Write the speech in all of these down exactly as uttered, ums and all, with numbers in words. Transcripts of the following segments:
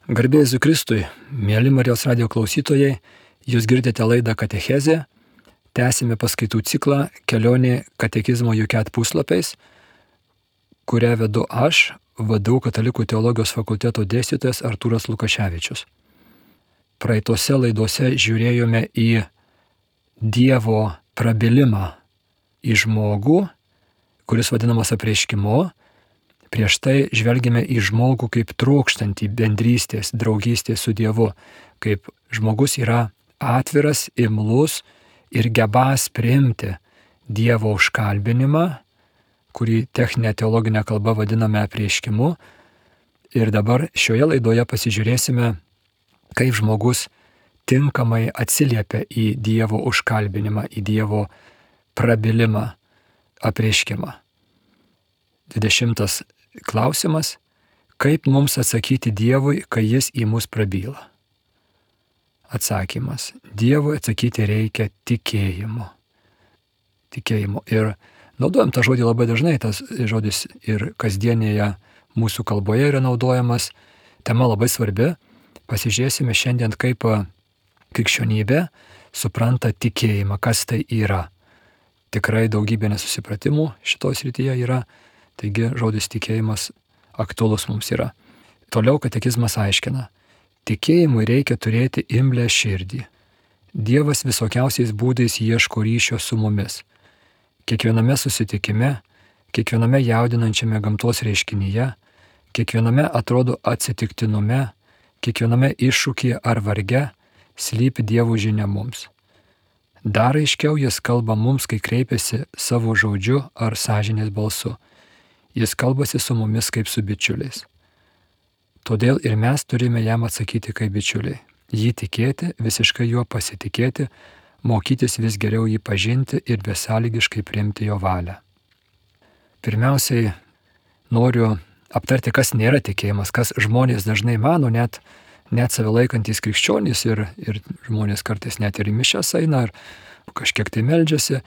Garbė Jėzui Kristui, mėly Marijos radijo klausytojai, jūs girdite laidą Katechezė, tęsime paskaitų ciklą Kelionė katekizmo Juket puslapiais, kurią vedu aš, V D U Katalikų teologijos fakulteto dėstytojas Artūras Lukaševičius. Praeitose laidose žiūrėjome į Dievo prabilimą į žmogų, kuris vadinamas apreiškimu. Prieš tai žvelgėme į žmogų kaip trokštantį bendrystės, draugystės su Dievu, kaip žmogus yra atviras, imlus ir gebas priimti Dievo užkalbinimą, kurį techninė teologinė kalba vadiname apreiškimu. Ir dabar šioje laidoje pasižiūrėsime, kaip žmogus tinkamai atsiliepia į Dievo užkalbinimą, į Dievo prabilimą, apreiškimą. dvidešimtas klausimas, kaip mums atsakyti Dievui, kai Jis į mus prabyla? Atsakymas, Dievui atsakyti reikia tikėjimu. Tikėjimu. Ir naudojam tą žodį labai dažnai, tas žodis ir kasdienėje mūsų kalboje yra naudojamas. Tema labai svarbi. Pasižiūrėsime šiandien, kaip krikščionybė supranta tikėjimą, kas tai yra. Tikrai daugybė nesusipratimų šitos srityje yra. Taigi žodis tikėjimas aktualus mums yra. Toliau katekizmas aiškina. Tikėjimui reikia turėti imlią širdį. Dievas visokiausiais būdais ieško ryšio su mumis. Kiekviename susitikime, kiekviename jaudinančiame gamtos reiškinyje, kiekviename atrodo atsitiktinume, kiekviename iššūkyje ar varge slypi Dievo žinia mums. Dar aiškiau Jis kalba mums, kai kreipiasi savo žodžiu ar sąžinės balsu. Jis kalbasi su mumis kaip su bičiuliais. Todėl ir mes turime jam atsakyti kaip bičiuliai. Jį tikėti, visiškai juo pasitikėti, mokytis vis geriau jį pažinti ir besąlygiškai priimti jo valią. Pirmiausiai noriu aptarti, kas nėra tikėjimas, kas žmonės dažnai mano, net, net save laikantys krikščionys ir, ir žmonės kartais net ir į mišias eina, ar kažkiek tai meldžiasi.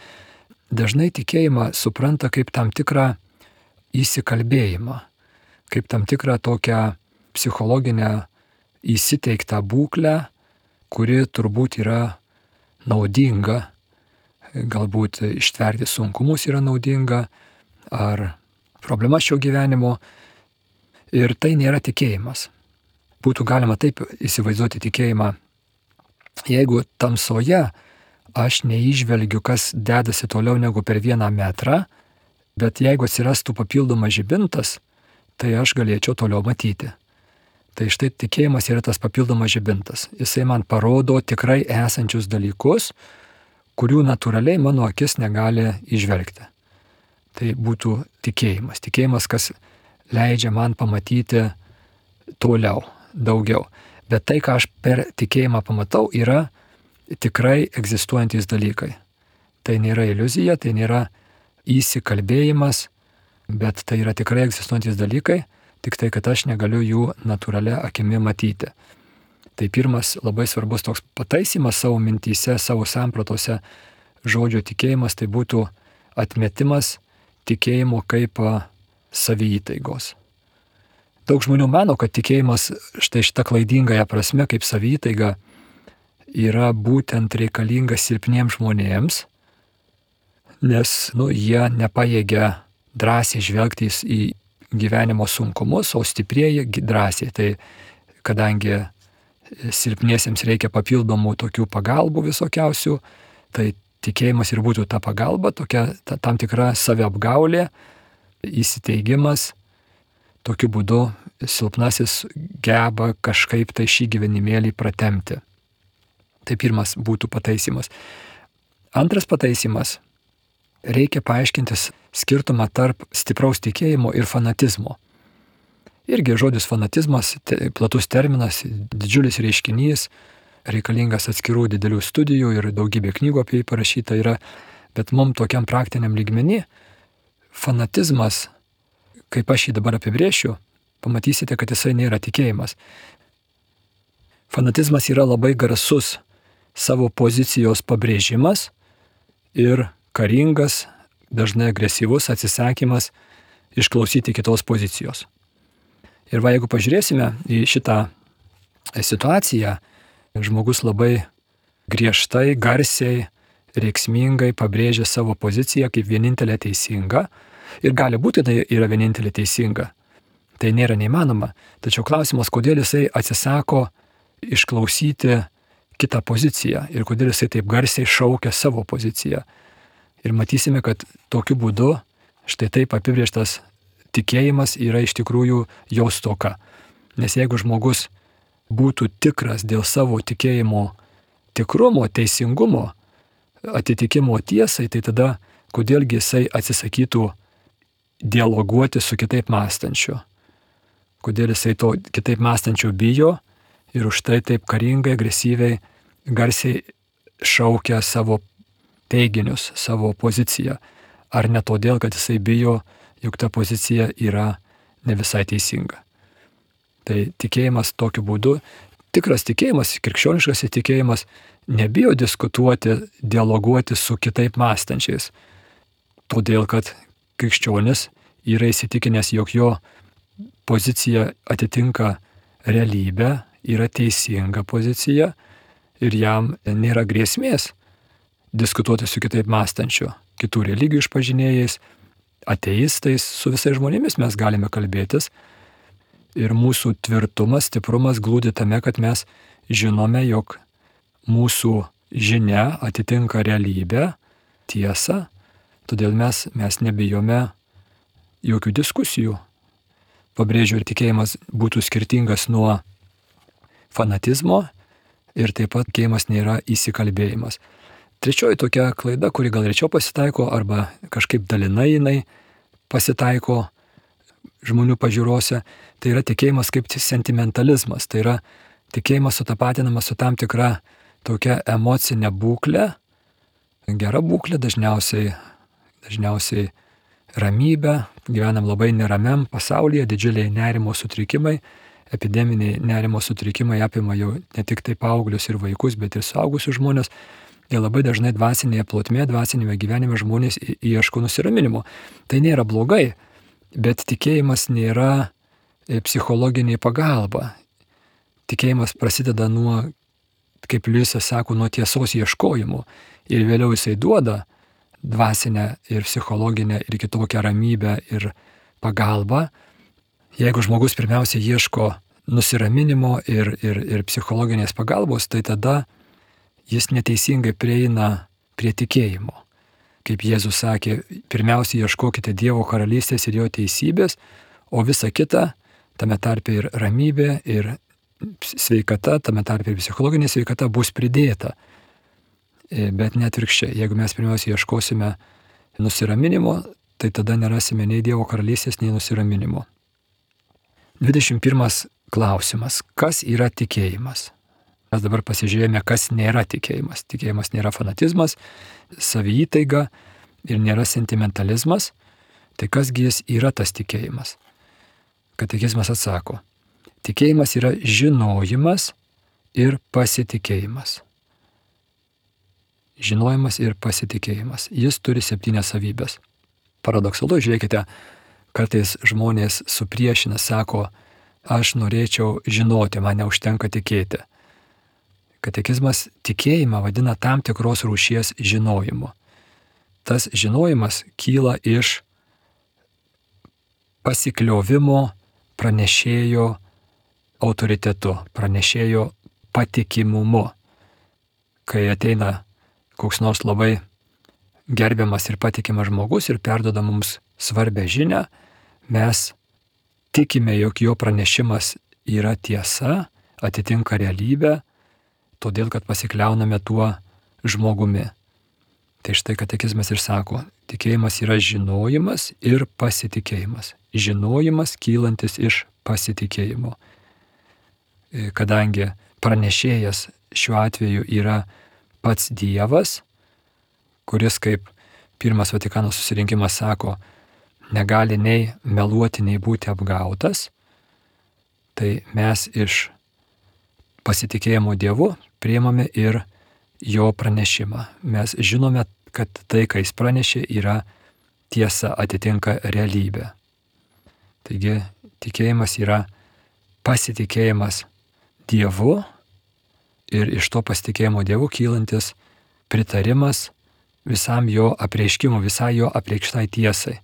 Dažnai tikėjimą supranta kaip tam tikrą įsikalbėjimą, kaip tam tikrą tokią psichologinę įsiteiktą būklę, kuri turbūt yra naudinga, galbūt ištverti sunkumus yra naudinga, ar problema šio gyvenimo. Ir tai nėra tikėjimas. Būtų galima taip įsivaizduoti tikėjimą, jeigu tamsoje aš neįžvelgiu, kas dedasi toliau negu per vieną metrą, bet jeigu atsirastų papildomas žibintas, tai aš galėčiau toliau matyti. Tai štai tikėjimas yra tas papildomas žibintas. Jisai man parodo tikrai esančius dalykus, kurių natūraliai mano akis negali įžvelgti. Tai būtų tikėjimas. Tikėjimas, kas leidžia man pamatyti toliau, daugiau. Bet tai, ką aš per tikėjimą pamatau, yra tikrai egzistuojantys dalykai. Tai nėra iliuzija, tai nėra įsikalbėjimas, bet tai yra tikrai egzistuojantys dalykai, tik tai, kad aš negaliu jų natūralia akimi matyti. Tai pirmas labai svarbus toks pataisymas savo mintyse, savo sampratose žodžio tikėjimas, tai būtų atmetimas tikėjimo kaip saviįtaigos. Daug žmonių mano, kad tikėjimas štai šita klaidingąją prasme kaip saviįtaiga yra būtent reikalingas silpniems žmonėms, nes nu, jie nepajėgia drąsiai žvelgti į gyvenimo sunkumus, o stiprieji drąsiai. Tai kadangi silpniesiems reikia papildomų tokių pagalbų visokiausių, tai tikėjimas ir būtų ta pagalba, tokia ta, tam tikra saviapgaulė, įsiteigimas. Tokiu būdu silpnasis geba kažkaip tai šį gyvenimėlį pratemti. Tai pirmas būtų pataisymas. Antras pataisymas. Reikia paaiškinti skirtumą tarp stipraus tikėjimo ir fanatizmo. Irgi žodis fanatizmas, te, platus terminas, didžiulis reiškinys, reikalingas atskirų didelių studijų ir daugybė knygų apie jį parašyta yra, bet mums tokiam praktiniam lygmenį fanatizmas, kaip aš jį dabar apibrėšiu, pamatysite, kad jisai nėra tikėjimas. Fanatizmas yra labai garsus savo pozicijos pabrėžimas ir karingas, dažnai agresyvus atsisakymas išklausyti kitos pozicijos. Ir va, jeigu pažiūrėsime į šitą situaciją žmogus labai griežtai, garsiai, reiksmingai pabrėžia savo poziciją kaip vienintelė teisinga ir gali būti tai yra vienintelė teisinga. Tai nėra neįmanoma. Tačiau klausimas, kodėl jisai atsisako išklausyti kitą poziciją ir kodėl jisai taip garsiai šaukia savo poziciją. Ir matysime, kad tokiu būdu štai taip apibrėžtas tikėjimas yra iš tikrųjų jo stoka. Nes jeigu žmogus būtų tikras dėl savo tikėjimo tikrumo, teisingumo, atitikimo tiesai, tai tada kodėlgi jisai atsisakytų dialoguoti su kitaip mąstančiu. Kodėl jisai to kitaip mąstančio bijo ir už tai taip karingai, agresyviai, garsiai šaukia savo teiginius, savo poziciją. Ar ne todėl, kad jisai bijo, juk ta pozicija yra ne visai teisinga. Tai tikėjimas tokiu būdu, tikras tikėjimas, krikščioniškas tikėjimas, nebijo diskutuoti, dialoguoti su kitaip mąstančiais. Todėl, kad krikščionis yra įsitikinęs, jog jo pozicija atitinka realybę, yra teisinga pozicija ir jam nėra grėsmės diskutuoti su kitaip mąstančiu, kitų religijų išpažinėjais, ateistais, su visais žmonėmis mes galime kalbėtis. Ir mūsų tvirtumas, stiprumas glūdi tame, kad mes žinome, jog mūsų žinia atitinka realybę, tiesą, todėl mes, mes nebijome jokių diskusijų. Pabrėžiu, ir tikėjimas būtų skirtingas nuo fanatizmo ir taip pat tikėjimas nėra įsikalbėjimas. Trečioji tokia klaida, kuri gal rečiau pasitaiko arba kažkaip dalinai jinai pasitaiko žmonių pažiūrose, tai yra tikėjimas kaip sentimentalizmas. Tai yra tikėjimas sutapatinamas su tam tikra tokia emocinė būklė, gera būklė, dažniausiai, dažniausiai ramybė, gyvenam labai neramiam pasaulyje, didžiuliai nerimo sutrikimai, epideminiai nerimo sutrikimai apima jau ne tik tai paauglius ir vaikus, bet ir suaugusius žmonės. Ir labai dažnai dvasinėje plotmėje, dvasinėme gyvenime žmonės ieško nusiraminimo. Tai nėra blogai, bet tikėjimas nėra psichologinė pagalba. Tikėjimas prasideda nuo, kaip Liujisas sako, nuo tiesos ieškojimo. Ir vėliau jisai duoda dvasinę ir psichologinę ir kitokią ramybę ir pagalbą. Jeigu žmogus pirmiausia ieško nusiraminimo ir, ir, ir psichologinės pagalbos, tai tada jis neteisingai prieina prie tikėjimo. Kaip Jėzus sakė, pirmiausia ieškokite Dievo karalystės ir jo teisybės, o visa kita, tame tarpe ir ramybė, ir sveikata, tame tarpe ir psichologinė sveikata bus pridėta. Bet net virkščiai, jeigu mes pirmiausia ieškosime nusiraminimo, tai tada nerasime nei Dievo karalystės, nei nusiraminimo. dvidešimt pirmas klausimas. Kas yra tikėjimas? Mes dabar pasižiūrėjome, kas nėra tikėjimas. Tikėjimas nėra fanatizmas, saviįtaiga ir nėra sentimentalizmas. Tai kasgi jis yra tas tikėjimas? Katekizmas atsako. Tikėjimas yra žinojimas ir pasitikėjimas. Žinojimas ir pasitikėjimas. Jis turi septynias savybės. Paradoksalu, žiūrėkite, kartais žmonės supriešina, sako, aš norėčiau žinoti, man neužtenka tikėti. Katekizmas tikėjimą vadina tam tikros rūšies žinojimu. Tas žinojimas kyla iš pasikliovimo pranešėjo autoritetu, pranešėjo patikimumu. Kai ateina koks nors labai gerbiamas ir patikimas žmogus ir perduoda mums svarbę žinią, mes tikime, jog jo pranešimas yra tiesa, atitinka realybę, todėl, kad pasikliauname tuo žmogumi. Tai štai katekizmas ir sako, tikėjimas yra žinojimas ir pasitikėjimas. Žinojimas kylantis iš pasitikėjimo. Kadangi pranešėjas šiuo atveju yra pats Dievas, kuris, kaip pirmas Vatikano susirinkimas sako, negali nei meluoti, nei būti apgautas, tai mes iš pasitikėjimo Dievu priimame ir jo pranešimą. Mes žinome, kad tai, ką jis pranešė, yra tiesa, atitinka realybę. Taigi tikėjimas yra pasitikėjimas Dievu ir iš to pasitikėjimo Dievu kylantis pritarimas visam jo apreiškimui, visai jo apreikštai tiesai.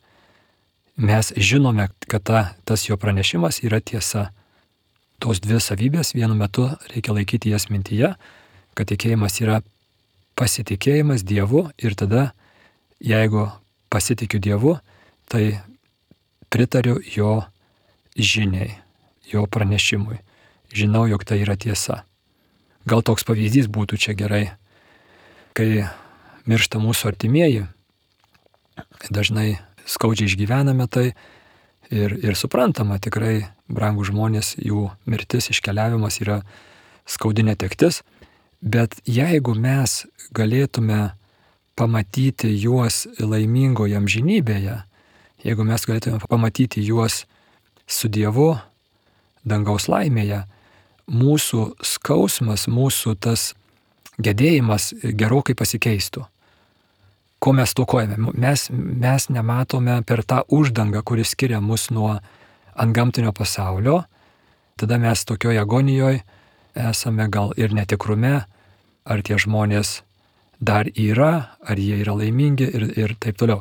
Mes žinome, kad ta, tas jo pranešimas yra tiesa. Tos dvi savybės vienu metu reikia laikyti jas mintyje, kad tikėjimas yra pasitikėjimas Dievu ir tada, jeigu pasitikiu Dievu, tai pritariu jo žiniai, jo pranešimui. Žinau, jog tai yra tiesa. Gal toks pavyzdys būtų čia gerai, kai miršta mūsų artimieji, dažnai skaudžiai išgyvename tai ir, ir suprantama, tikrai brangūs žmonės, jų mirtis, iškeliavimas yra skaudi netektis, bet jeigu mes galėtume pamatyti juos laimingoje amžinybėje, jeigu mes galėtume pamatyti juos su Dievu dangaus laimėje, mūsų skausmas, mūsų tas gedėjimas gerokai pasikeistų. Ko mes stokojame? Mes, mes nematome per tą uždangą, kuris skiria mus nuo antgamtinio pasaulio. Tada mes tokioje agonijoje esame gal ir netikrume, ar tie žmonės dar yra, ar jie yra laimingi ir, ir taip toliau.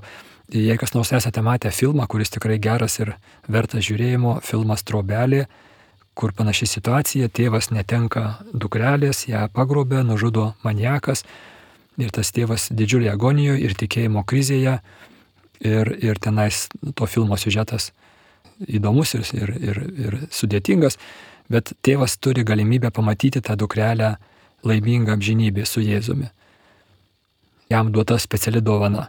Jei kas nors esate matę filmą, kuris tikrai geras ir vertas žiūrėjimo, filmas Trobelė, kur panaši situacija, tėvas netenka dukrelės, ją pagrobė, nužudo maniakas ir tas tėvas didžiulėje agonijoje ir tikėjimo krizėje ir, ir tenais to filmo siužetas įdomus ir, ir, ir, ir sudėtingas, bet tėvas turi galimybę pamatyti tą dukrelę laimingą amžinybę su Jėzumi. Jam duota speciali dovana.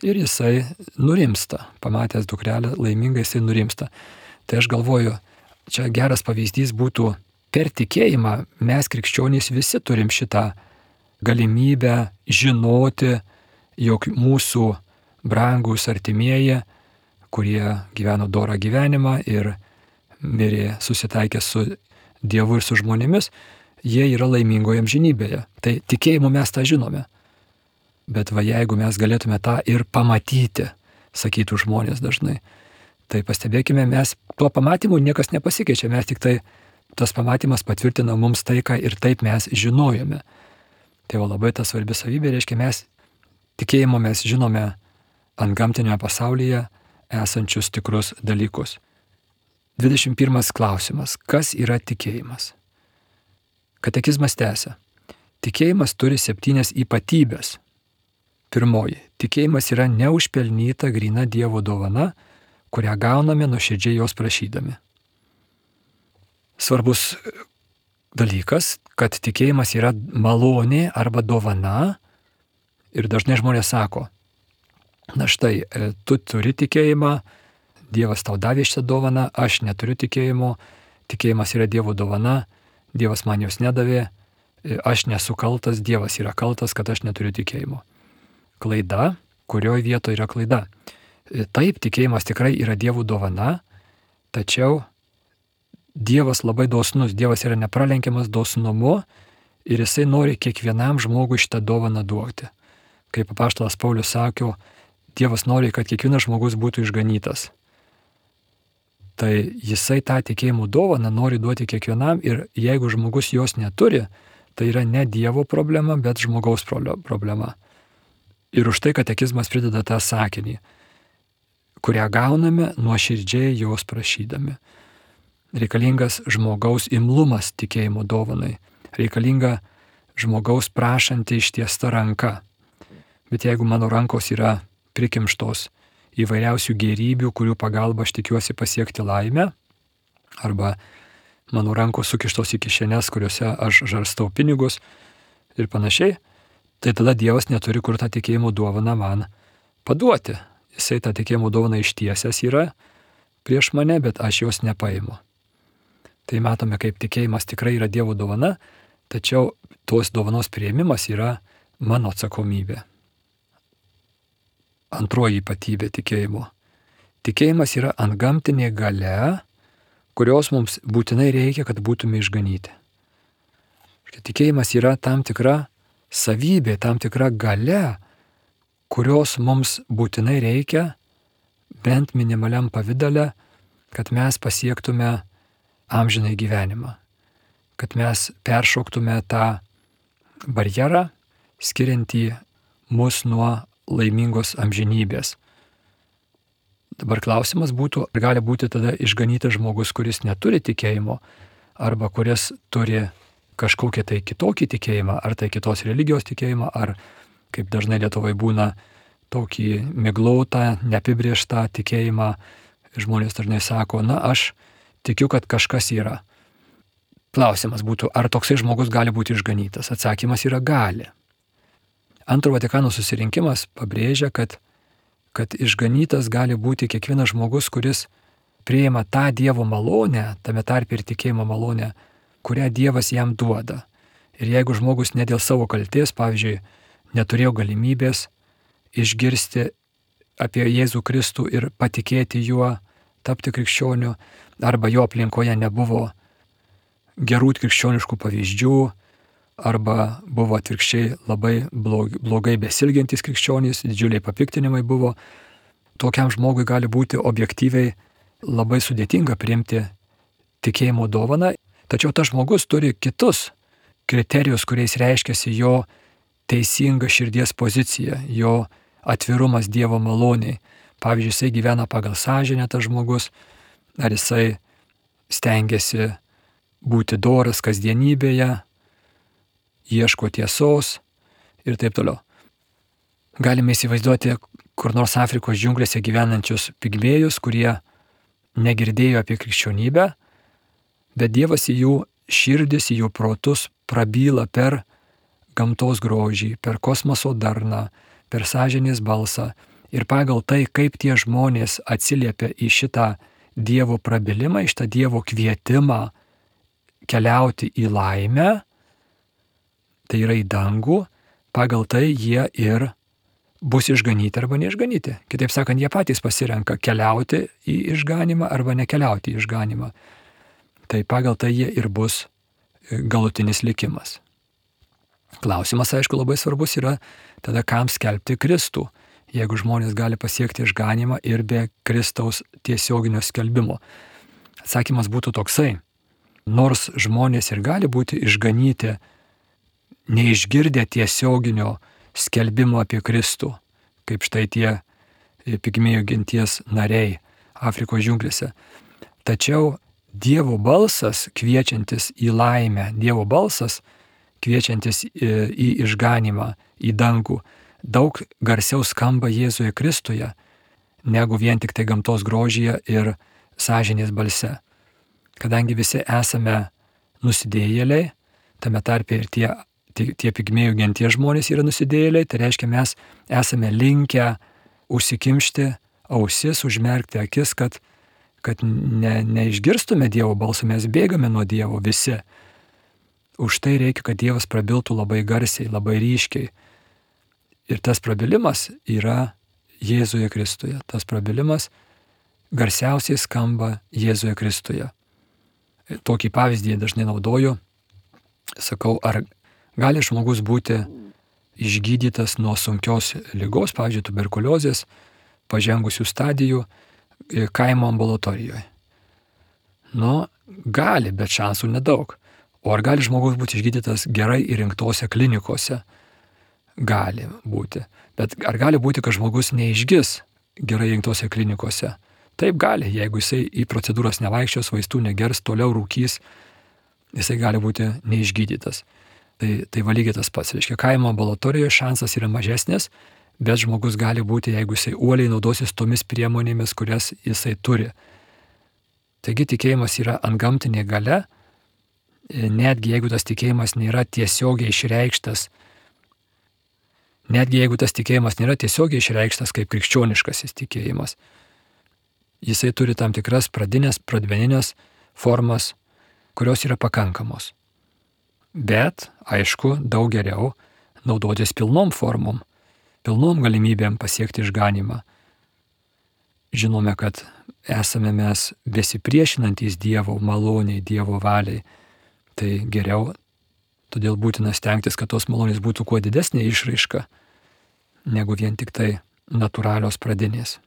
Ir jisai nurimsta, pamatęs dukrelę laimingą, jisai nurimsta. Tai aš galvoju, čia geras pavyzdys būtų per tikėjimą, mes krikščionys visi turim šitą galimybę žinoti, jog mūsų brangūs artimieji, kurie gyveno dorą gyvenimą ir mirė susitaikę su Dievu ir su žmonėmis, jie yra laimingoje amžinybėje. Tai tikėjimu mes tą žinome. Bet va jeigu mes galėtume tą ir pamatyti, sakytų žmonės dažnai, tai pastebėkime, mes tuo pamatymu niekas nepasikeičia, mes tik tai tas pamatymas patvirtina mums tai, ką ir taip mes žinojome. Tai va labai ta svarbi savybė, reiškia, mes tikėjimo mes žinome antgamtinėje pasaulyje esančius tikrus dalykus. dvidešimt pirmas klausimas. Kas yra tikėjimas? Katekizmas tęsia. Tikėjimas turi septynias ypatybės. Pirmoji. Tikėjimas yra neužpelnyta gryna Dievo dovana, kurią gauname nuoširdžiai jos prašydami. Svarbus dalykas, kad tikėjimas yra malonė arba dovana ir dažnai žmonės sako, na štai, tu turi tikėjimą, Dievas tau davė šitą dovaną, aš neturiu tikėjimo, tikėjimas yra Dievo dovana, Dievas man jos nedavė, aš nesu kaltas, Dievas yra kaltas, kad aš neturiu tikėjimo. Klaida, kurioje vietoje yra klaida. Taip, tikėjimas tikrai yra Dievo dovana, tačiau Dievas labai dosnus, Dievas yra nepralenkiamas dosnumu ir jisai nori kiekvienam žmogui šitą dovaną duoti. Kaip apaštalas Paulius sakė, Dievas nori, kad kiekvienas žmogus būtų išganytas. Tai jisai tą tikėjimo dovaną nori duoti kiekvienam ir jeigu žmogus jos neturi, tai yra ne Dievo problema, bet žmogaus problema. Ir už tai katekizmas prideda tą sakinį, kurią gauname nuoširdžiai jos prašydami. Reikalingas žmogaus imlumas tikėjimo dovanai, reikalinga žmogaus prašanti ištiesta ranka. Bet jeigu mano rankos yra prikimštos įvairiausių gėrybių, kurių pagalba aš tikiuosi pasiekti laimę, arba mano rankos sukištos į kišenes, kuriuose aš žarstau pinigus ir panašiai, tai tada Dievas neturi kur tą tikėjimo dovaną man paduoti. Jisai tą tikėjimo dovaną ištiesęs yra prieš mane, bet aš jos nepaimu. Tai matome, kaip tikėjimas tikrai yra Dievo dovana, tačiau tos dovanos priėmimas yra mano atsakomybė. Antroji ypatybė tikėjimo. Tikėjimas yra antgamtinė galia, kurios mums būtinai reikia, kad būtume išganyti. Tikėjimas yra tam tikra savybė, tam tikra galia, kurios mums būtinai reikia, bent minimaliam pavidale, kad mes pasiektume amžinai gyvenimą. kad mes peršoktume tą barjerą, skiriantį mus nuo laimingos amžinybės. Dabar klausimas būtų, ar gali būti tada išganytas žmogus, kuris neturi tikėjimo, arba kuris turi kažkokį tai kitokį tikėjimą, ar tai kitos religijos tikėjimą, ar, kaip dažnai Lietuvoje būna, tokį miglautą, neapibrėžtą tikėjimą. Žmonės dažnai sako, na, aš tikiu, kad kažkas yra. Klausimas būtų, ar toksai žmogus gali būti išganytas? Atsakymas yra gali. Antro Vatikano susirinkimas pabrėžia, kad, kad išganytas gali būti kiekvienas žmogus, kuris priima tą Dievo malonę, tame tarpe ir tikėjimo malonę, kurią Dievas jam duoda. Ir jeigu žmogus ne dėl savo kaltės, pavyzdžiui, neturėjo galimybės išgirsti apie Jėzų Kristų ir patikėti juo, tapti krikščioniu, arba jo aplinkoje nebuvo gerų krikščioniškų pavyzdžių, arba buvo atvirkščiai labai blogai besilgiantys krikščionys, didžiuliai papiktinimai buvo, tokiam žmogui gali būti objektyviai labai sudėtinga priimti tikėjimo dovaną, tačiau tas žmogus turi kitus kriterijus, kuriais reiškiasi jo teisinga širdies pozicija, jo atvirumas Dievo maloniai. Pavyzdžiui, jisai gyvena pagal sąžinę tas žmogus, ar jisai stengiasi būti doras kasdienybėje, ieško tiesos ir taip toliau. Galime įsivaizduoti kur nors Afrikos džiunglėse gyvenančius pigmėjus, kurie negirdėjo apie krikščionybę, bet Dievas į jų širdis, į jų protus prabyla per gamtos grožį, per kosmoso darną, per sąžinės balsą. Ir pagal tai, kaip tie žmonės atsiliepia į šitą Dievo prabilimą, į šitą Dievo kvietimą keliauti į laimę, tai yra į dangų, pagal tai jie ir bus išganyti arba neišganyti. Kitaip sakant, jie patys pasirenka keliauti į išganimą arba nekeliauti į išganimą. Tai pagal tai jie ir bus galutinis likimas. Klausimas, aišku, labai svarbus yra tada, kam skelbti Kristų, jeigu žmonės gali pasiekti išganimą ir be Kristaus tiesioginio skelbimo. Atsakymas būtų toksai. Nors žmonės ir gali būti išganyti, neišgirdę tiesioginio skelbimo apie Kristų, kaip štai tie pigmėjų genties nariai Afrikos džiunglėse. Tačiau Dievo balsas kviečiantis į laimę, Dievo balsas kviečiantis į išganimą, į dangų, daug garsiau skamba Jėzuje Kristuje, negu vien tik tai gamtos grožyje ir sąžinės balse. Kadangi visi esame nusidėjėliai, tame tarpe ir tie, tie, tie pigmėjų genties žmonės yra nusidėjėliai, tai reiškia, mes esame linkę užsikimšti ausis, užmerkti akis, kad, kad ne, neišgirstume Dievo balsą, mes bėgame nuo Dievo visi. Už tai reikia, kad Dievas prabiltų labai garsiai, labai ryškiai. Ir tas prabilimas yra Jėzuje Kristuje. Tas prabilimas garsiausiai skamba Jėzuje Kristuje. Tokį pavyzdį dažnai naudoju. Sakau, ar gali žmogus būti išgydytas nuo sunkios ligos, pavyzdžiui, tuberkuliozės, pažengusių stadijų kaimo ambulatorijoje? Nu, gali, bet šansų nedaug. O ar gali žmogus būti išgydytas gerai įrinktose klinikose? Gali būti. Bet ar gali būti, kad žmogus neišgis gerai įrinktose klinikose? Taip gali, jeigu jisai į procedūras nevaikščios, vaistų negers, toliau rūkys, jisai gali būti neišgydytas. Tai, tai valygiai tas pats. Reiškia, kaimo ambulatorijoje šansas yra mažesnis, bet žmogus gali būti, jeigu jisai uoliai naudosis tomis priemonėmis, kurias jisai turi. Taigi tikėjimas yra antgamtinė galia, netgi jeigu tas tikėjimas nėra tiesiogiai išreikštas, netgi jeigu tas tikėjimas nėra tiesiogiai išreikštas kaip krikščioniškasis tikėjimas, jisai turi tam tikras pradinės, pradmeninės formas, kurios yra pakankamos. Bet, aišku, daug geriau naudotis pilnom formom, pilnom galimybėm pasiekti išganimą. Žinome, kad esame mes besipriešinantys Dievo maloniai, Dievo valiai. Tai geriau, todėl būtina stengtis, kad tos malonės būtų kuo didesnė išraiška, negu vien tik tai natūralios pradinės.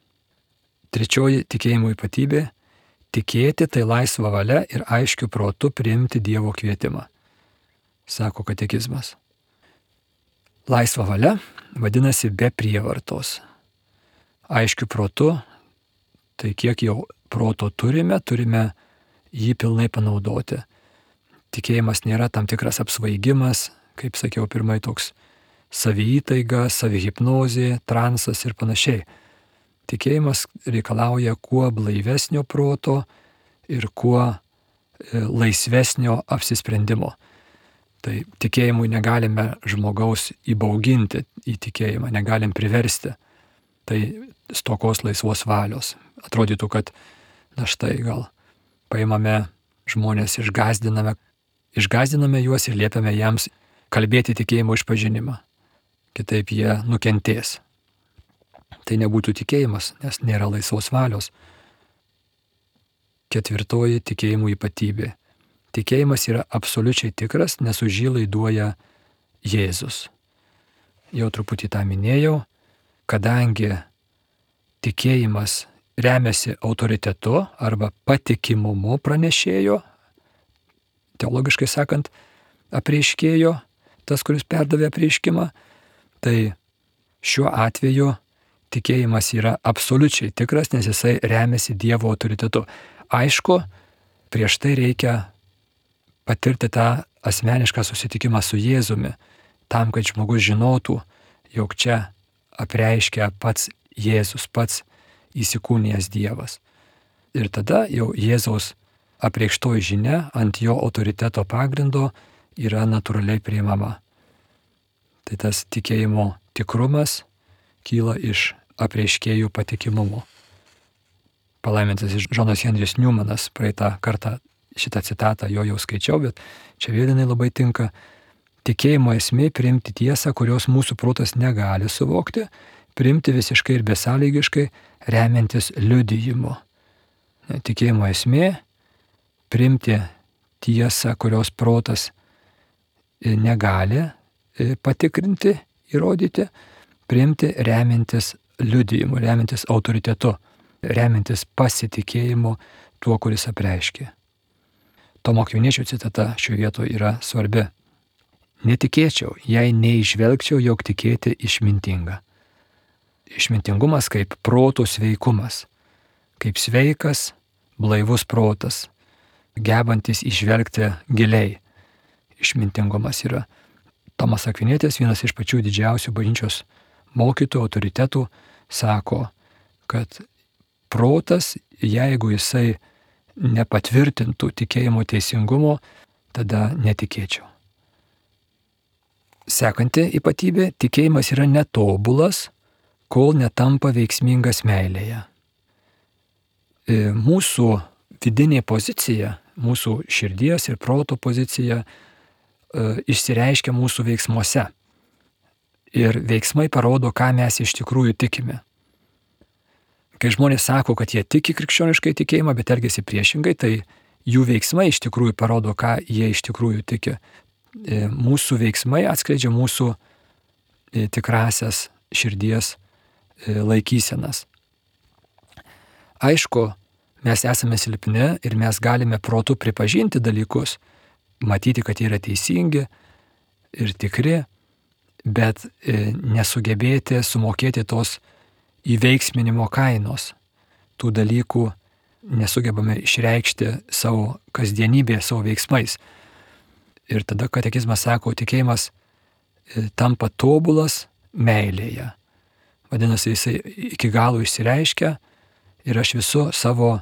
Trečioji tikėjimo ypatybė tikėti tai laisva valia ir aiškiu protu priimti Dievo kvietimą, sako katekizmas. Laisva valia vadinasi be prievartos. Aiškiu protu, tai kiek jau proto turime, turime jį pilnai panaudoti. Tikėjimas nėra tam tikras apsvaigimas, kaip sakiau, pirmai toks saviįtaiga, savihipnozė, transas ir panašiai. Tikėjimas reikalauja kuo blaivesnio proto ir kuo laisvesnio apsisprendimo. Tai tikėjimui negalime žmogaus įbauginti į tikėjimą, negalim priversti. Tai stokos laisvos valios. Atrodytų, kad na štai gal paimame žmonės, išgazdiname, išgazdiname juos ir liepiame jiems kalbėti tikėjimo išpažinimą. Kitaip jie nukentės. Tai nebūtų tikėjimas, nes nėra laisvos valios. Ketvirtoji tikėjimų ypatybė. Tikėjimas yra absoliučiai tikras, nes už jį laiduoja Jėzus. Jau truputį tą minėjau, kadangi tikėjimas remiasi autoritetu arba patikimumu pranešėjo, teologiškai sakant, apreiškėjo, tas, kuris perdavė apreiškimą, tai šiuo atveju tikėjimas yra absoliučiai tikras, nes jisai remiasi Dievo autoritetu. Aišku, prieš tai reikia patirti tą asmenišką susitikimą su Jėzumi, tam, kad žmogus žinotų, jog čia apreiškia pats Jėzus, pats įsikūnijęs Dievas. Ir tada jau Jėzaus apreikštoji žinia ant jo autoriteto pagrindo yra natūraliai priimama. Tai tas tikėjimo tikrumas kyla iš apreiškėjų patikimumo. Palaimintas Džonas Henris Newmanas, praeitą kartą šitą citatą jo jau skaičiau, bet čia vėl jinai labai tinka. Tikėjimo esmė priimti tiesą, kurios mūsų protas negali suvokti, priimti visiškai ir besąlygiškai, remiantis liudijimu. Tikėjimo esmė priimti tiesą, kurios protas negali patikrinti, įrodyti, priimti remiantis liudijimu, remiantis autoritetu, remiantis pasitikėjimu tuo, kuris apreiškė. Tomo Akviniečio citata šioje vietoje yra svarbi. Netikėčiau, jei neižvelgčiau, jog tikėti išmintinga. Išmintingumas kaip proto sveikumas, kaip sveikas, blaivus protas, gebantis išvelgti giliai. Išmintingumas yra. Tomas Akvinietis, vienas iš pačių didžiausių bažnyčios mokytojų, autoritetų, sako, kad protas, jeigu jisai nepatvirtintų tikėjimo teisingumo, tada netikėčiau. Sekanti ypatybė, tikėjimas yra netobulas, kol netampa veiksmingas meilėje. Mūsų vidinė pozicija, mūsų širdies ir proto pozicija išsireiškia mūsų veiksmuose. Ir veiksmai parodo, ką mes iš tikrųjų tikime. Kai žmonės sako, kad jie tiki krikščioniškai tikėjimą, bet elgiasi priešingai, tai jų veiksmai iš tikrųjų parodo, ką jie iš tikrųjų tiki. Mūsų veiksmai atskleidžia mūsų tikrasias širdies laikysenas. Aišku, mes esame silpni ir mes galime protu pripažinti dalykus, matyti, kad jie yra teisingi ir tikri, bet nesugebėti sumokėti tos įveiksminimo kainos. Tų dalykų nesugebame išreikšti savo kasdienybėje, savo veiksmais. Ir tada katekizmas sako, tikėjimas tampa tobulas meilėje. Vadinasi, jisai iki galo išsireiškia ir aš visu savo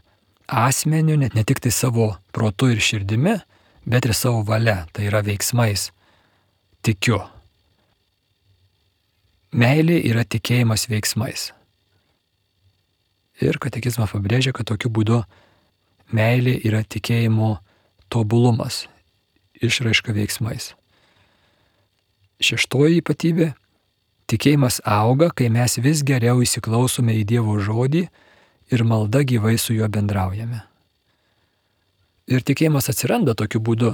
asmeniu, net ne tik tai savo protu ir širdimi, bet ir savo valia, tai yra veiksmais, tikiu. Meilė yra tikėjimas veiksmais. Ir katekizmas pabrėžia, kad tokiu būdu meilė yra tikėjimo tobulumas, išraiška veiksmais. Šeštoji ypatybė – tikėjimas auga, kai mes vis geriau įsiklausome į Dievo žodį ir malda gyvai su juo bendraujame. Ir tikėjimas atsiranda tokiu būdu,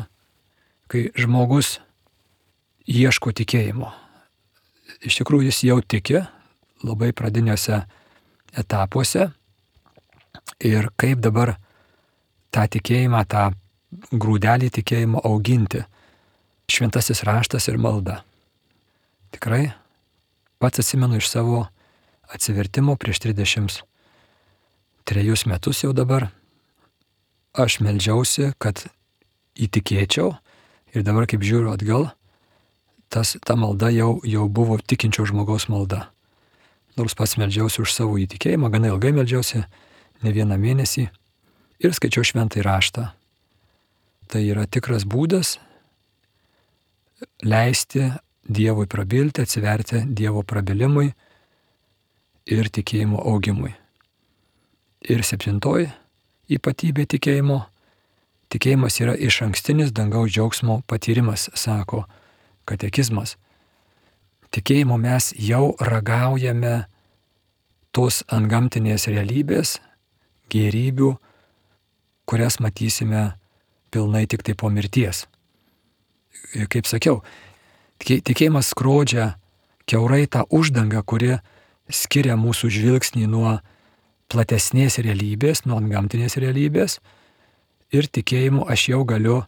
kai žmogus ieško tikėjimo. Iš tikrųjų jis jau tiki labai pradiniuose etapuose ir kaip dabar tą tikėjimą, tą grūdelį tikėjimo auginti. Šventasis raštas ir malda. Tikrai pats atsimenu iš savo atsivertimo prieš trisdešimt trejus metus jau dabar. Aš meldžiausi, kad įtikėčiau ir dabar kaip žiūriu atgal, tas, ta malda jau, jau buvo tikinčio žmogaus malda. Nors pats meldžiausi už savo įtikėjimą, gana ilgai meldžiausi, ne vieną mėnesį ir skaičiau šventąjį raštą. Tai yra tikras būdas leisti Dievui prabilti, atsiverti Dievo prabilimui ir tikėjimo augimui. Ir septintoji ypatybė tikėjimo. Tikėjimas yra išankstinis dangaus džiaugsmo patyrimas, sako katekizmas. Tikėjimo mes jau ragaujame tos antgamtinės realybės, gėrybių, kurias matysime pilnai tik tai po mirties. Ir kaip sakiau, tikėjimas skrodžia kiaurai tą uždangą, kuri skiria mūsų žvilgsnį nuo platesnės realybės, nuo antgamtinės realybės. Ir tikėjimu aš jau galiu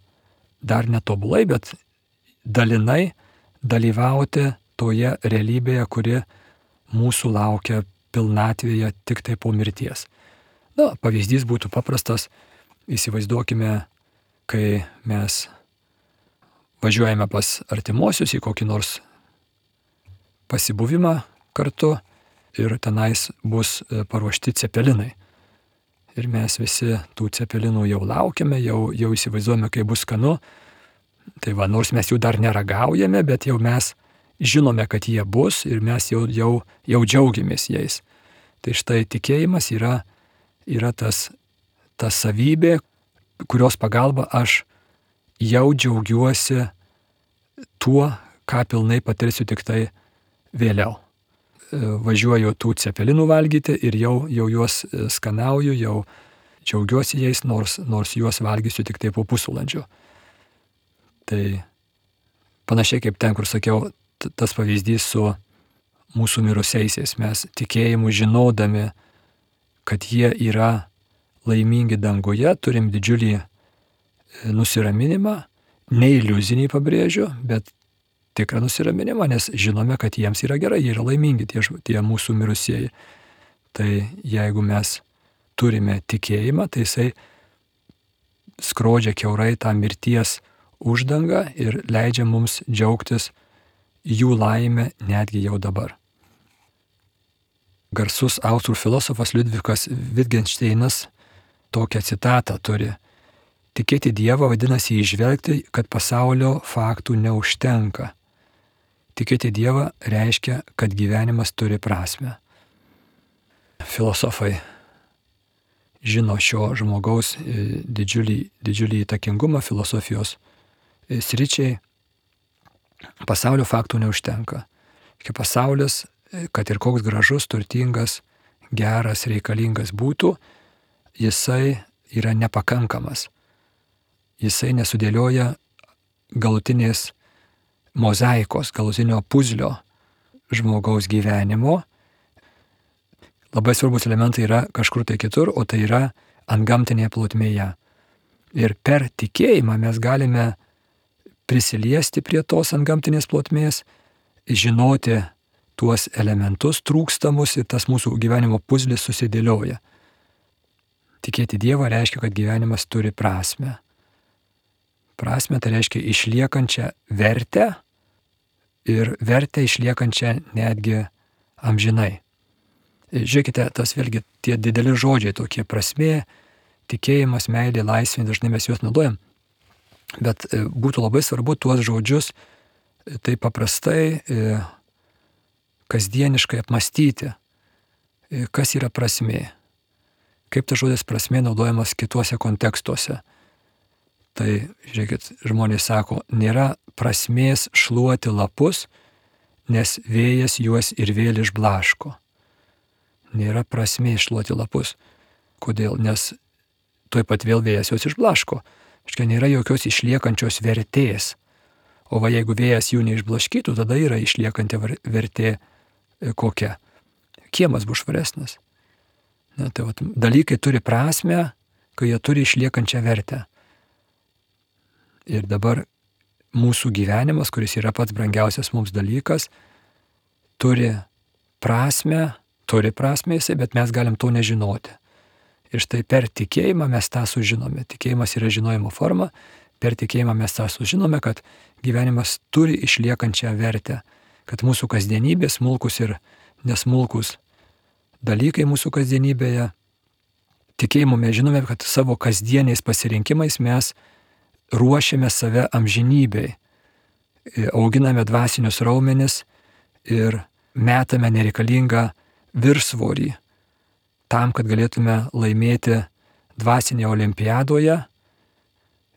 dar netobulai, bet dalinai dalyvauti toje realybėje, kuri mūsų laukia pilnatvėje tik tai po mirties. Na, pavyzdys būtų paprastas. Įsivaizduokime, kai mes važiuojame pas artimuosius į kokį nors pasibuvimą kartu ir tenais bus paruošti cepelinai. Ir mes visi tų cepelinų jau laukiame, jau, jau įsivaizduojame, kaip bus skanu. Tai va, nors mes jų dar neragaujame, bet jau mes žinome, kad jie bus ir mes jau, jau, jau džiaugiamės jais. Tai štai tikėjimas yra, yra tas, ta savybė, kurios pagalba aš jau džiaugiuosi tuo, ką pilnai patirsiu tik tai vėliau. Važiuoju tų cepelinų valgyti ir jau, jau juos skanauju, jau džiaugiuosi jais, nors, nors juos valgysiu tik tai po pusvalandžio. Tai panašiai kaip ten, kur sakiau, tas pavyzdys su mūsų mirusiaisiais. Mes tikėjimu žinodami, kad jie yra laimingi danguje, turim didžiulį nusiraminimą, ne iliuzinį pabrėžiu, bet tikrą nusiraminimą, nes žinome, kad jiems yra gerai, jie yra laimingi, tie, tie mūsų mirusieji. Tai jeigu mes turime tikėjimą, tai jisai skrodžia kiaurai tą mirties uždangą ir leidžia mums džiaugtis jų laimę netgi jau dabar. Garsus austrų filosofas Liudvikas Wittgensteinas tokią citatą turi. Tikėti Dievą vadinasi įžvelgti, kad pasaulio faktų neužtenka. Tikėti Dievą reiškia, kad gyvenimas turi prasmę. Filosofai žino šio žmogaus didžiulį, didžiulį įtakingumą filosofijos sričiai. Pasaulio faktų neužtenka. Pasaulis, kad ir koks gražus, turtingas, geras, reikalingas būtų, jisai yra nepakankamas. Jisai nesudėlioja galutinės mozaikos, galutinio puzlio žmogaus gyvenimo. Labai svarbus elementai yra kažkur tai kitur, o tai yra antgamtinėje plotmėje. Ir per tikėjimą mes galime prisiliesti prie tos antgamtinės plotmės, žinoti tuos elementus trūkstamus ir tas mūsų gyvenimo puzlis susidėlioja. Tikėti Dievą reiškia, kad gyvenimas turi prasmę. Prasmę tai reiškia išliekančią vertę ir vertę išliekančią netgi amžinai. Žiūrėkite, tas vėlgi tie dideli žodžiai, tokie prasmė, tikėjimas, meilė, laisvė, dažnai mes juos naudojam, bet būtų labai svarbu tuos žodžius taip paprastai, kasdieniškai apmastyti, kas yra prasmė, kaip tas žodis prasmė naudojamas kituose kontekstuose. Tai, žiūrėkit, žmonės sako, nėra prasmės šluoti lapus, nes vėjas juos ir vėl išblaško. Nėra prasmės šluoti lapus. Kodėl? Nes tuoj pat vėl vėjas juos išblaško. Štai nėra jokios išliekančios vertės. O va jeigu vėjas jų neišblaškytų, tada yra išliekanti vertė kokia. Kiemas bus švaresnis. Na, tai va, dalykai turi prasmę, kai jie turi išliekančią vertę. Ir dabar mūsų gyvenimas, kuris yra pats brangiausias mums dalykas, turi prasme, turi prasme jisai, bet mes galim to nežinoti. Ir štai per tikėjimą mes tą sužinome. Tikėjimas yra žinojimo forma. Per tikėjimą mes tą sužinome, kad gyvenimas turi išliekančią vertę, kad mūsų kasdienybė, smulkus ir nesmulkus dalykai mūsų kasdienybėje, tikėjimu mes žinome, kad savo kasdieniais pasirinkimais mes ruošiame save amžinybei, auginame dvasinius raumenis ir metame nereikalingą viršsvorį tam, kad galėtume laimėti dvasinėje olimpiadoje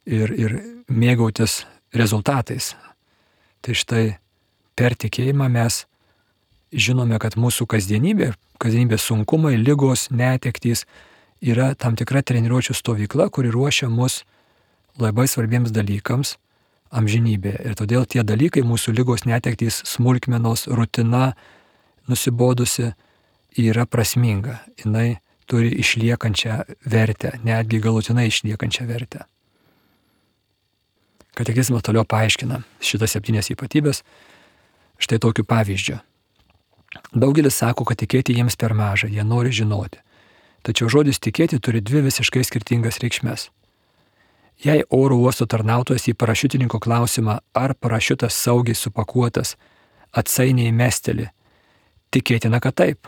ir, ir mėgautis rezultatais. Tai štai per tikėjimą mes žinome, kad mūsų kasdienybė, kasdienybės sunkumai, ligos, netektys yra tam tikra treniruočių stovykla, kuri ruošia mus labai svarbiems dalykams amžinybėje. Ir todėl tie dalykai, mūsų ligos, netektys, smulkmenos, rutina, nusibodusi, yra prasminga. Jinai turi išliekančią vertę, netgi galutinai išliekančią vertę. Katekizmas toliau paaiškina šitas septynės ypatybės štai tokiu pavyzdžiu. Daugelis sako, kad tikėti jiems per maža, jie nori žinoti. Tačiau žodis tikėti turi dvi visiškai skirtingas reikšmes. Jei oro uosto tarnautojas į parašiutininko klausimą, ar parašiutas saugiai supakuotas, atsainiai mesteli, tikėtina, kad taip.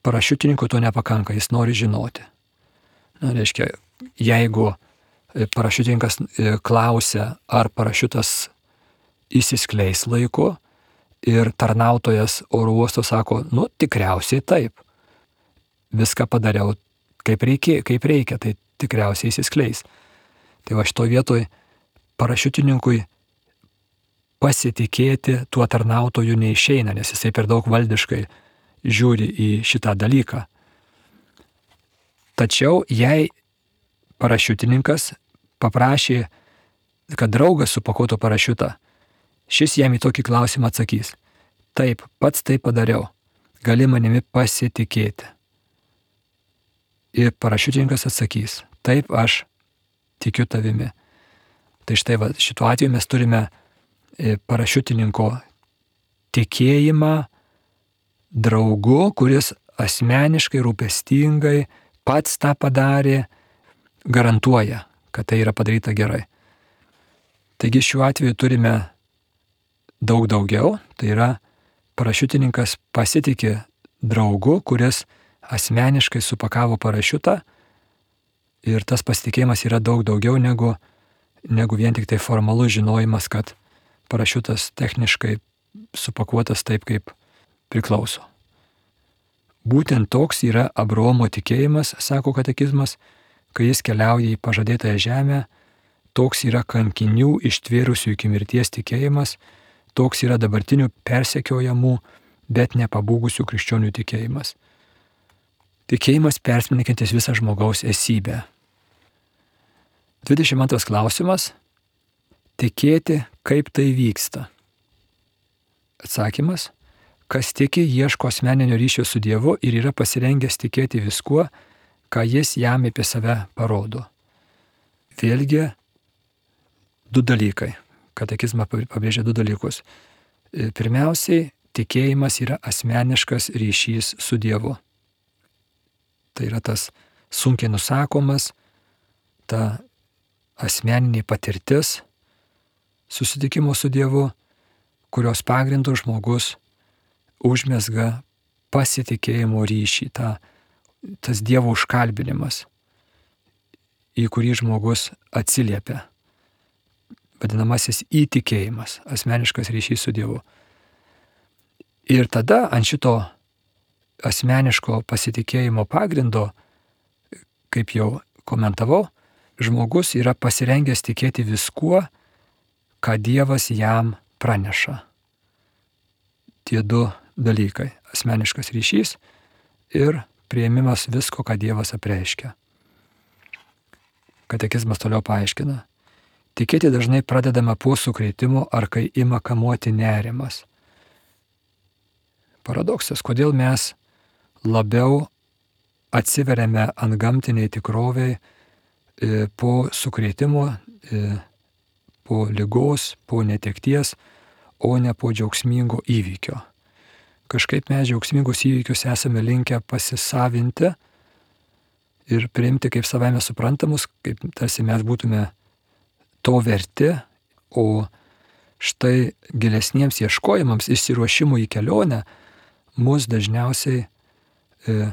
Parašiutininko to nepakanka, jis nori žinoti. Na, reiškia, jeigu parašiutininkas klausia, ar parašiutas įsiskleis laiku, ir tarnautojas oro uosto sako, nu, tikriausiai taip. Viską padariau kaip reikia, kaip reikia, tai tikriausiai įsiskleis. Tai va šito vietoj parašiutininkui pasitikėti tuo tarnautoju neišeina, nes jisai per daug valdiškai žiūri į šitą dalyką. Tačiau jei parašiutininkas paprašė, kad draugas supakuotų parašiutą, šis jam į tokį klausimą atsakys, taip, pats tai padariau, gali manimi pasitikėti. Ir parašiutininkas atsakys, taip, aš tikiu tavimi. Tai štai va, šituo atveju mes turime parašiutininko tikėjimą draugu, kuris asmeniškai, rūpestingai pats tą padarė, garantuoja, kad tai yra padaryta gerai. Taigi šiuo atveju turime daug daugiau, tai yra parašiutininkas pasitikė draugu, kuris asmeniškai supakavo parašiutą ir tas pasitikėjimas yra daug daugiau negu, negu vien tik tai formalus žinojimas, kad parašiutas techniškai supakuotas taip, kaip priklauso. Būtent toks yra Abraomo tikėjimas, sako katekizmas, kai jis keliauja į pažadėtąją žemę, toks yra kankinių ištvėrusių iki mirties tikėjimas, toks yra dabartinių persekiojamų, bet nepabūgusių krikščionių tikėjimas. Tikėjimas persmelkiantis visą žmogaus esybę. dvidešimt antras klausimas. Tikėti, kaip tai vyksta. Atsakymas. Kas tiki, ieško asmeninio ryšio su Dievu ir yra pasirengęs tikėti viskuo, ką jis jam apie save parodo. Vėlgi, du dalykai. Katekizmas pabrėžia du dalykus. Pirmiausiai, tikėjimas yra asmeniškas ryšys su Dievu. Tai yra tas sunkiai nusakomas, ta asmeninė patirtis susitikimo su Dievu, kurios pagrindų žmogus užmezga pasitikėjimo ryšį, ta, tas Dievo užkalbinimas, į kurį žmogus atsiliepia. Vadinamasis įtikėjimas, asmeniškas ryšys su Dievu. Ir tada ant šito asmeniško pasitikėjimo pagrindo, kaip jau komentavau, žmogus yra pasirengęs tikėti viskuo, ką Dievas jam praneša. Tie du dalykai - asmeniškas ryšys ir priėmimas visko, ką Dievas apreiškia. Katekizmas toliau paaiškina. Tikėti dažnai pradedama po sukrėtimo ar kai ima kamuoti nerimas. Paradoksas, kodėl mes labiau atsiveriame antgamtiniai tikroviai po sukrėtimo, po ligos, po netekties, o ne po džiaugsmingo įvykio. Kažkaip mes džiaugsmingus įvykius esame linkę pasisavinti ir priimti kaip savaime suprantamus, kaip tarsi mes būtume to verti, o štai gilesniems ieškojimams, išsiruošimui į kelionę, mus dažniausiai e,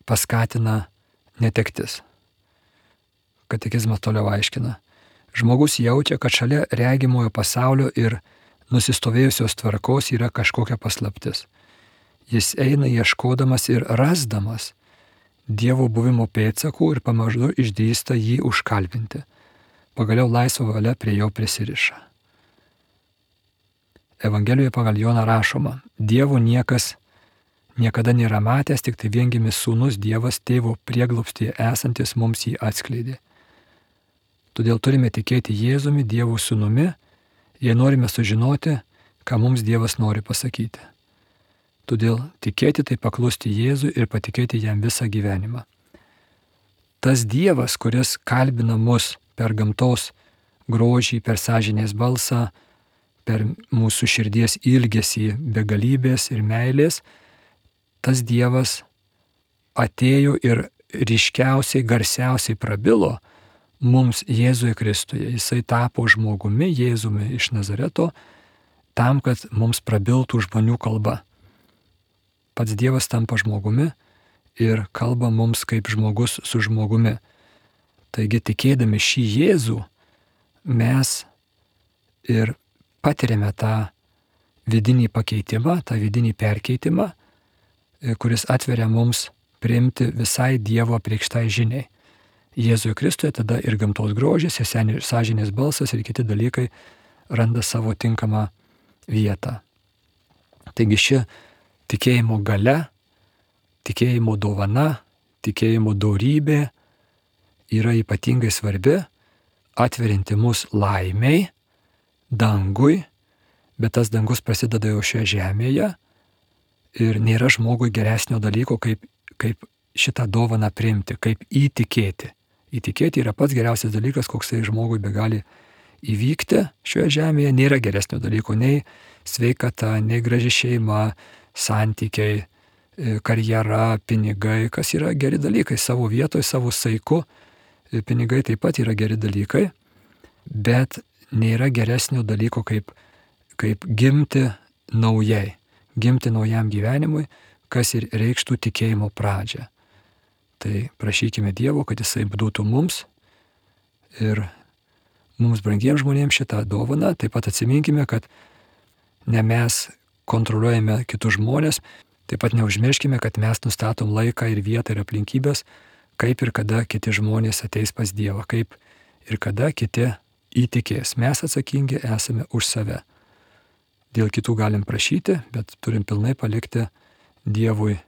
paskatina netektis. Katekizmas toliau aiškina. Žmogus jaučia, kad šalia regimojo pasaulio ir nusistovėjusios tvarkos yra kažkokia paslaptis. Jis eina ieškodamas ir rasdamas Dievo buvimo pėdsakų ir pamažu išdrįsta jį užkalbinti. Pagaliau laisva valia prie jo prisiriša. Evangelijoje pagal Joną rašoma, Dievo niekas niekada nėra matęs, tik tai viengimis sūnus Dievas tėvo prieglobstyje esantis mums jį atskleidė. Todėl turime tikėti Jėzumi, Dievo sūnumi, jei norime sužinoti, ką mums Dievas nori pasakyti. Todėl tikėti tai paklusti Jėzui ir patikėti jam visą gyvenimą. Tas Dievas, kuris kalbina mus per gamtos grožį, per sąžinės balsą, per mūsų širdies ilgesį begalybės ir meilės, tas Dievas atėjo ir ryškiausiai, garsiausiai prabilo mums Jėzuje Kristuje. Jisai tapo žmogumi, Jėzumi iš Nazareto, tam, kad mums prabiltų žmonių kalba. Pats Dievas tampa žmogumi ir kalba mums kaip žmogus su žmogumi. Taigi tikėdami šį Jėzų mes ir patiriame tą vidinį pakeitimą, tą vidinį perkeitimą, kuris atveria mums priimti visai Dievo apreikštai žiniai. Jėzuje Kristuje tada ir gamtos grožis, ir sąžinės balsas, ir kiti dalykai randa savo tinkamą vietą. Taigi ši tikėjimo galia, tikėjimo dovana, tikėjimo dorybė yra ypatingai svarbi, atverinti mus laimiai, dangui, bet tas dangus prasideda jau šioje žemėje ir nėra žmogui geresnio dalyko, kaip, kaip šitą dovaną priimti, kaip įtikėti. Įtikėti yra pats geriausias dalykas, koksai žmogui begali įvykti šioje žemėje. Nėra geresnio dalyko, nei sveikata, nei graži šeima, santykiai, karjera, pinigai, kas yra geri dalykai savo vietoje, savo saiku. Pinigai taip pat yra geri dalykai, bet nėra geresnio dalyko, kaip, kaip gimti naujai, gimti naujam gyvenimui, kas ir reikštų tikėjimo pradžią. Tai prašykime Dievo, kad Jisai duotų mums ir mums brangiems žmonėms šitą dovaną. Taip pat atsiminkime, kad ne mes kontroliuojame kitus žmonės, taip pat neužmirškime, kad mes nustatom laiką ir vietą ir aplinkybės, kaip ir kada kiti žmonės ateis pas Dievą, kaip ir kada kiti įtikės. Mes atsakingi esame už save. Dėl kitų galim prašyti, bet turim pilnai palikti Dievui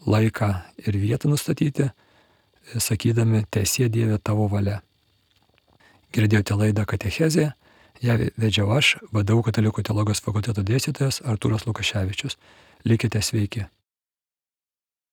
laiką ir vietą nustatyti, sakydami, teesie Dieve tavo valia. Girdėjote laidą Katechezė, ją vedžiau aš, V D U Katalikų teologijos fakulteto dėstytojas Artūras Lukaševičius. Likite sveiki.